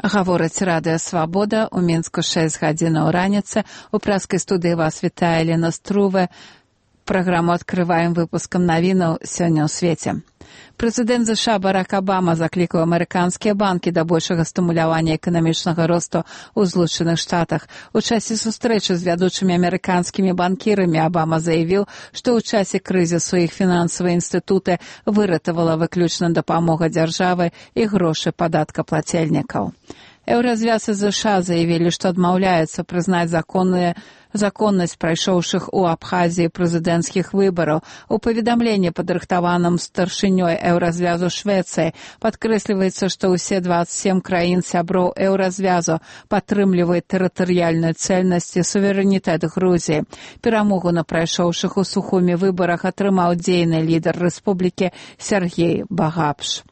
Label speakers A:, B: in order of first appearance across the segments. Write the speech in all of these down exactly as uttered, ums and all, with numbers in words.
A: Гаворыць радыё «Свабода», у Мінску шэсць гадзінаў раніцы. У праскай студыі вас вітае Лена Струве. Праграму адкрываем выпускам навінаў сёння ў свеце. Прэзідэнт ЗША Барак Абама заклікаў амерыканскія банкі да большага стымулявання эканамічнага росту ў Злучаных Штатах. У часе сустрэчы з вядучымі амерыканскімі банкірамі Абама заявіў, што ў часе крызісу іх фінансавыя інстытуты выратавала выключна дапамога дзяржавы і грошы падаткаплацельнікаў. Еўразвяз і ЗША заявілі, што адмаўляюцца прызнаць законныя законнасць прайшоўшых у Абхазіі прэзідэнцкіх выбараў. У паведамленні, падрыхтаваным старшынёй Еўразвязу Швецыі, падкрэсліваецца, што ўсе дваццаць сем краін сяброў Еўразвязу падтрымліваюць тэрытарыяльную цэльнасць і суверэнітэт Грузіі. Перамогу на прайшоўшых у Сухуме выбарах атрымаў дзейны лідар рэспублікі Сергей Багапш.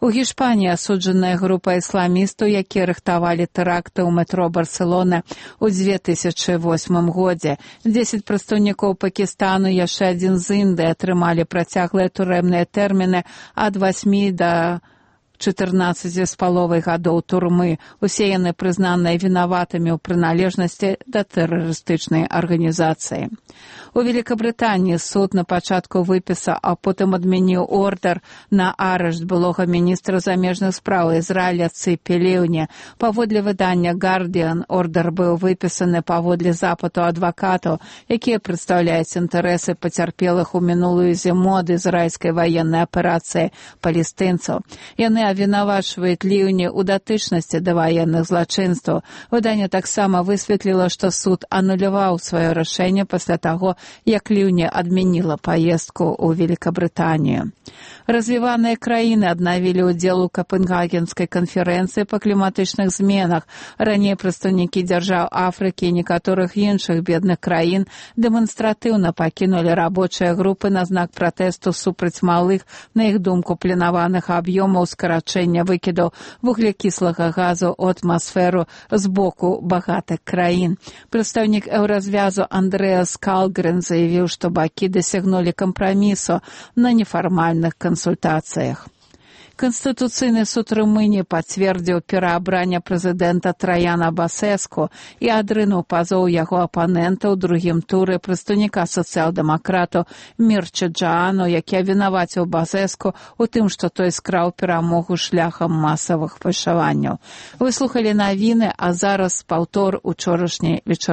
A: У Гішпаніі асуджаная група ісламістаў, якія рыхтавалі тэракты ў метро Барселоны ў дзве тысячы восьмым годзе. Дзесяць прадстаўнікоў Пакістану і яшчэ адзін з Індыі атрымалі працяглыя турэмныя тэрміны ад васьмі да чатырнаццаці з паловай гадоў турмы. Усе яны прызнаныя вінаватымі ў прыналежнасці да тэрарыстычнай арганізацыі. У Великабрытаніі суд на пачатку выпісаў, а потым адмяніў ордар на арышт былога міністра замежных спраў Ізраіля Цыпі Леўні. Паводле выдання «Гардіан», ордар быў выпісаны паводле запыту адвакатаў, якія прадстаўляюць інтарэсы пацярпелых у мінулую зіму ад ізраільскай ваеннай аперацыі палестынцаў. Яны абвінавачваюць Леўні ў датычнасці да ваенных злачынстваў. Выданне таксама высветліла, што суд ануляваў сваё рашэнне пасля таго, як Леўні адмяніла паездку ў Великабрытанію. Развіваныя краіны аднавілі ўдзел у Капенгагенскай канферэнцыі па кліматычных зменах. Раней прадстаўнікі дзяржаў Афрыкі і некаторых іншых бедных краін дэманстратыўна пакінулі рабочыя групы на знак пратэсту супраць малых, на іх думку, планаваных аб'ёмаў скарачэння выкідаў вуглякіслага газу ў атмасферу з боку багатых краін. Прадстаўнік Еўразвязу Андрэас Калгрен заявіў, што бакі дасягнулі кампрамісу на нефармальных кансультацыях. Канстытуцыйны суд Румыніі пацвердзіў пераабранне прэзідэнта Траяна Басэску і адрынуў пазоў яго апанента ў другім туры прадстаўніка сацыял-дэмакрату Мірча Джаану, які абвінаваціў Басэску у тым, што той скраў перамогу шляхам масавых пашаванняў. Вы слухалі навіны, а зараз паўтор учорашняй вечары.